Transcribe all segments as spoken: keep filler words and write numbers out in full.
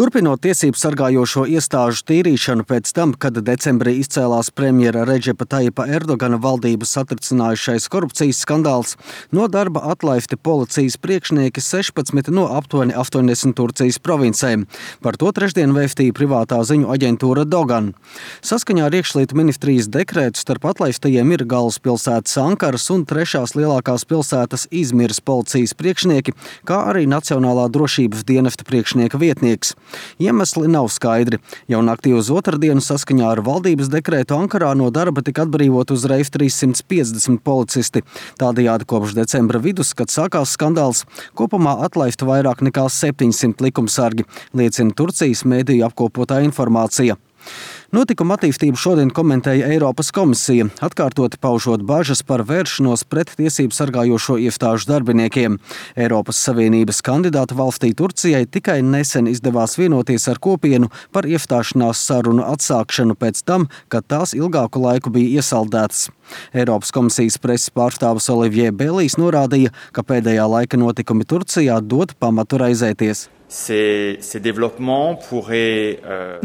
Turpinot tiesību sargājošo iestāžu tīrīšanu pēc tam, kad decembrī izcēlās premjera Redžepa Tajipa Erdogana valdību satricinājušais korupcijas skandāls, no darba atlaisti policijas priekšnieki sešpadsmit no aptuveni astoņdesmit Turcijas provincēm. Par to trešdien vēstīja privātā ziņu aģentūra Dogan. Saskaņā ar iekšlietu ministrijas dekrētu starp atlaistajiem ir galvaspilsētas Ankaras un trešās lielākās pilsētas Izmiras policijas priekšnieki, kā arī Nacionālā drošības dienesta priekšnieka vietnieks. Iemesli nav skaidri. Jau naktī uz otrdienu saskaņā ar valdības dekrētu Ankarā no darba tika atbrīvot uzreiz trīssimt piecdesmit policisti. Tādējādi kopš decembra vidus, kad sākās skandāls, kopumā atlaistu vairāk nekā septiņsimt likumsargi, liecina Turcijas mēdīju apkopotā informācija. Notikuma attīstību šodien komentēja Eiropas komisija, atkārtoti paužot bažas par vēršanos pret tiesību sargājošo iestāžu darbiniekiem. Eiropas Savienības kandidāta valstī Turcijai tikai nesen izdevās vienoties ar kopienu par iestāšanās sarunu atsākšanu pēc tam, kad tās ilgāku laiku bija iesaldētas. Eiropas komisijas preses pārstāvis Olivier Bellijs norādīja, ka pēdējā laika notikumi Turcijā dod pamatu raizēties.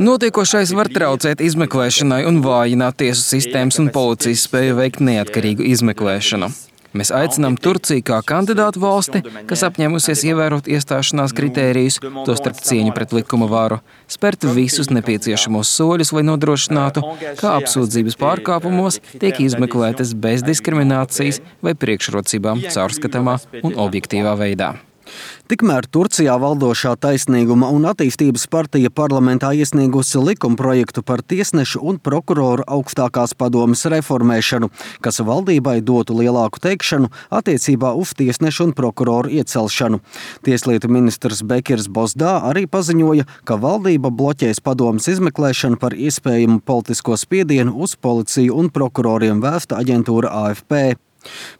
Notiekošais var traucēt izmeklēšanai un vājināt tiesu sistēmas un policijas spēju veikt neatkarīgu izmeklēšanu. Mēs aicinām Turciju kā kandidātu valsti, kas apņēmusies ievērot iestāšanās kritērijus, tostarp cieņu pret likuma varu, spērt visus nepieciešamos soļus, lai nodrošinātu, ka apsūdzības pārkāpumos tiek izmeklētas bez diskriminācijas vai priekšrocībām caurskatāmā un objektīvā veidā. Tikmēr Turcijā valdošā Taisnīguma un attīstības partija parlamentā iesniegusi likumprojektu par tiesnešu un prokuroru augstākās padomes reformēšanu, kas valdībai dotu lielāku teikšanu attiecībā uz tiesnešu un prokuroru iecelšanu. Tieslietu ministrs Bekirs Bozdā arī paziņoja, ka valdība bloķēs padomes izmeklēšanu par iespējamu politisko spiedienu uz policiju un prokuroriem vēsta aģentūra A F P.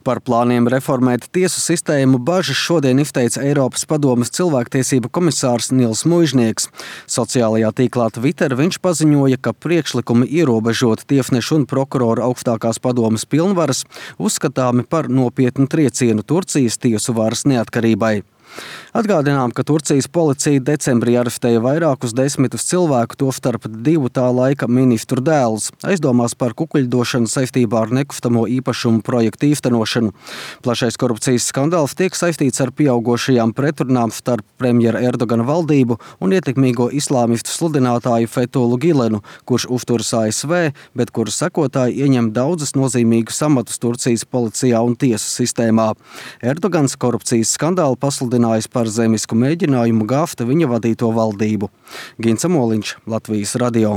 Par plāniem reformēt tiesu sistēmu bažas šodien izteica Eiropas padomes cilvēktiesību komisārs Nils Muižnieks. Sociālajā tīklā Twitter viņš paziņoja, ka priekšlikumi ierobežot tiesnešu un prokuroru augstākās padomes pilnvaras uzskatāmi par nopietnu triecienu Turcijas tiesu varas neatkarībai. Atgādinām, ka Turcijas policija decembrī arestēja vairākus desmitus cilvēku, tostarp divu tā laika ministru dēlus, aizdomās par kukuļdošanu saistībā ar nekustamo īpašumu projektu īstenošanu. Plašais korupcijas skandāls tiek saistīts ar pieaugošajām pretrunām starp premjera Erdogana valdību un ietekmīgo islāmistu sludinātāju Fethullu Gilenu, kurš uzturas A S V, bet kura sekotāji ieņem daudzas nozīmīgas amatus Turcijas policijā un tiesu sistēmā. Erdogans korupcijas skandālu pasludinājis par zemisku mēģinājumu gāzt viņa vadīto valdību. Gins Amoliņš, Latvijas radio.